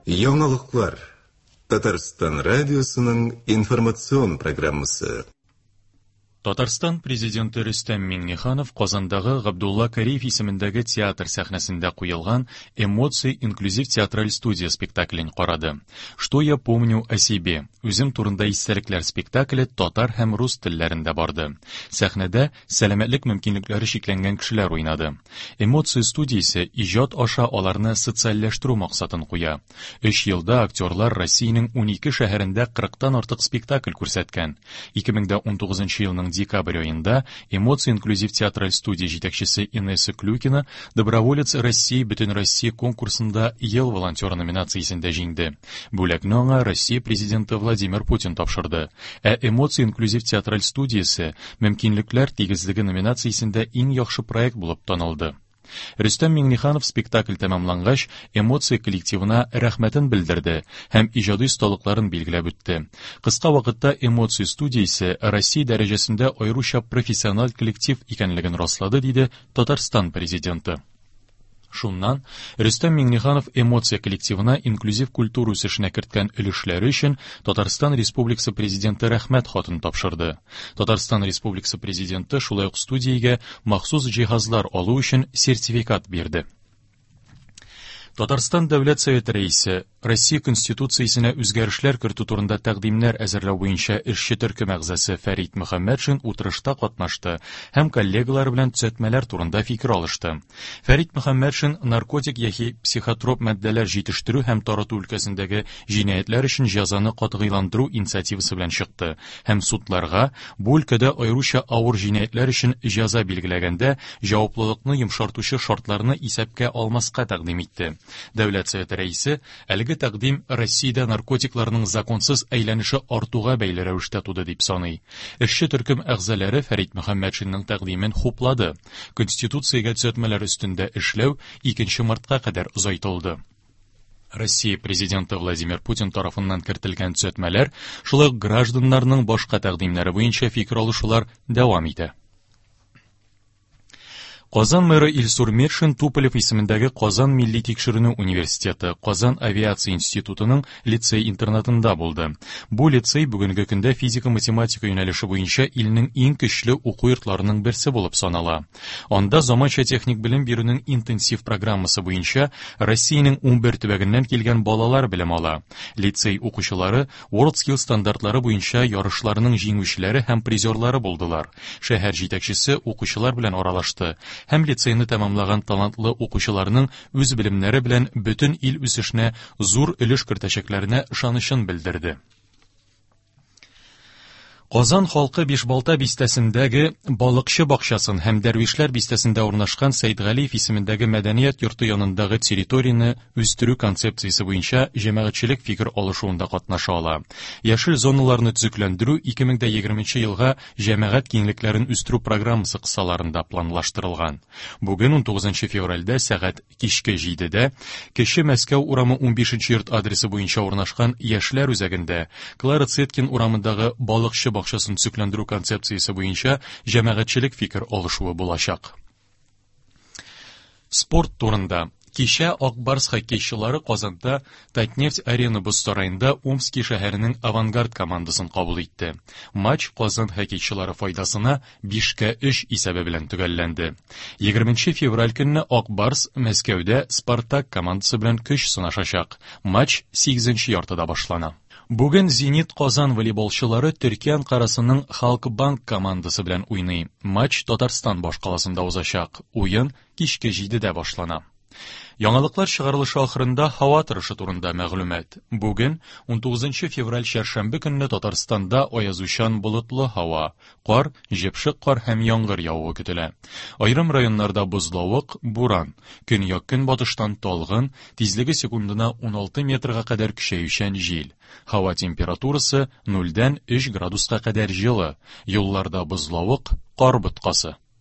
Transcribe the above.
Яңалыклар. Татарстан радиосының информацион программасы. Татарстан Президенты Рөстәм Миңнеханов Казандагы Габдулла Кариев исемендәге театр сәхнәсендә куелган Эмоции инклюзив театраль студия спектаклен карады. Что я помню о себе? Үзем турында истәлекләр спектакле татар һәм рус телләрендә барды. Сәхнәдә сәламәтлек мөмкинлекләре чикләнгән кешеләр уйнады. Эмоции студиясе иҗат аша аларны социальләштерү максатын куя. Өч елда актерлар Россиянең 12 шәһәрендә 40-тан артык спектакль күрсәткән. 2019 елның декабрь аенда Эмоции инклюзив театраль студия җитәкчесе Инесса Клюкина Доброволец России Бөтенроссия конкурсында Ел волонтеры номинациясендә җиңде. Бүләкне аңа Россия Президенты Владимир Путин тапшырды. Ә Эмоции инклюзив театраль студиясе Мөмкинлекләр тигезлеге номинациясендә иң яхшы проект булып танылды. Рөстәм Миңнеханов спектакль тәмамлангач, Эмоция коллективына рәхмәтен белдерде һәм иҗади осталыкларын билгеләп үтте. Кыска вакытта Эмоция студиясе Россия дәрәҗәсендә аеруча профессиональ коллектив икәнлеген раслады, диде Татарстан Президенты. Шуннан Рөстәм Миңнеханов Эмоция коллективына инклюзив культура үсешенә керткән өлешләре өчен Татарстан Республикасы Президенты Рәхмәт хатын тапшырды. Татарстан Республикасы Президенты шулай ук студиягә махсус җиһазлар алу өчен сертификат бирде. Татарстан Дәүләт Советы Рәисе Россия Конституциясенә үзгәрешләр кертү турында тәкъдимнәр әзерләү буенча эшче төркем әгъзасы Фәрит Мөхәммәтшин утырышта катнашты һәм коллегалары белән төзәтмәләр турында фикер алышты. Фәрит Мөхәммәтшин наркотик яки психотроп матдәләр җитештерү һәм тарату өлкәсендәге җинаятьләр өчен җәзаны катгыйландыру инициативасы белән чыкты һәм судларга бу өлкәдә аеруча авыр җинаятьләр өчен җәза билгеләгәндә җаваплылыкны йомшартучы шартларны исәпкә алмаска тәкъдим итте. Дәүләт Советы рәисе әлеге тәкъдим Россиядә наркотикларның законсыз әйләнеше артуга бәйле рәвештә туды дип саный. Эшче төркем әгъзалары Фәрит Мөхәммәтшинның тәкъдимен хуплады. Конституциягә төзәтмәләр өстендә эшләү 2 мартка кадәр озайтылды. Россия Президенты Владимир Путин тарафыннан кертелгән төзәтмәләр, шулай ук гражданнарның башка тәкъдимнәре буенча фикер алышулар дәвам итә. Казан мэры Илсур Метшин Туполев исемендәге Казан милли тикшеренү университеты, Казан авиация институтының лицей-интернатында булды. Бу лицей бүгенге көндә физика-математика юнәлеше буенча илнең иң көчле уку йортларының берсе булып санала. Анда заманча техник белем бирүнең интенсив программасы буенча Россиянең 11 төбәгеннән килгән балалар белем ала. Лицей укучылары WorldSkills стандартлары буенча ярышларның җиңүчеләре һәм призерлары булдылар. Шәһәр җитәкчесе укучылар белән аралашты һәм лицейны тәмамлаган талантлы укучыларның үз белемнәре белән бөтен ил үсешенә зур өлеш кертәчәкләренә ышанычын белдерде. Казан халкы Бишбалта бистәсендәге Балыкчы бакчасын һәм Дәрвишләр бистәсендә урнашкан Сәйдгалиев исемендәге мәдәният йорты янындагы территорияне үстерү концепциясе буенча җәмәгатьчелек фикер алышуында катнаша ала. Яшел зоналарны төзекләндерү 2020 елга җәмәгать киңлекләрен үстерү программасы кысаларында планлаштырылган. Бүген 19 февральдә сәгать кичке 7-дә Кече Мәскәү урамы 15 йорт адресы буенча урнашкан Яшьләр үзәгендә Клара Цеткин урамындагы балыкчы бакчасын төзекләндерү концепциясе буенча җәмәгатьчелек фикер алышуы булачак. Спорт турында. Кичә Ак Барс хоккейчылары Казанда Татнефть Арена боз сараенда Омски шәһәренең Авангард командасын кабул итте. Матч Казан хоккейчылары файдасына 5-кә 3 исәбе белән төгәлләнде. 20 февраль көнне Ак Барс Мәскәүдә Спартак командасы белән көч сынашачак. Матч 8 яртыда башлана. Бүген Зенит Казан волейболчылары Төркия Анкарасының Халкбанк командасы белән уйный. Матч Татарстан башкаласында узачак. Уен кичке 7-дә башлана. Яңалыклар чыгарылышы ахырында һава торышы турында мәгълүмат. Бүген, 19 февраль чәршәмбе көнне Татарстанда аязучан болытлы һава, кар, җепшек кар һәм яңгыр явуы көтелә. Аерым районнарда бозлавык, буран, көньяк-көнбатыштан талгын, тизлеге секундына 16 метрга кадәр көчәючән җил. Һава температурасы 0-дән 3 градуска кадәр җылы, юлларда бозлавык, кар боткасы.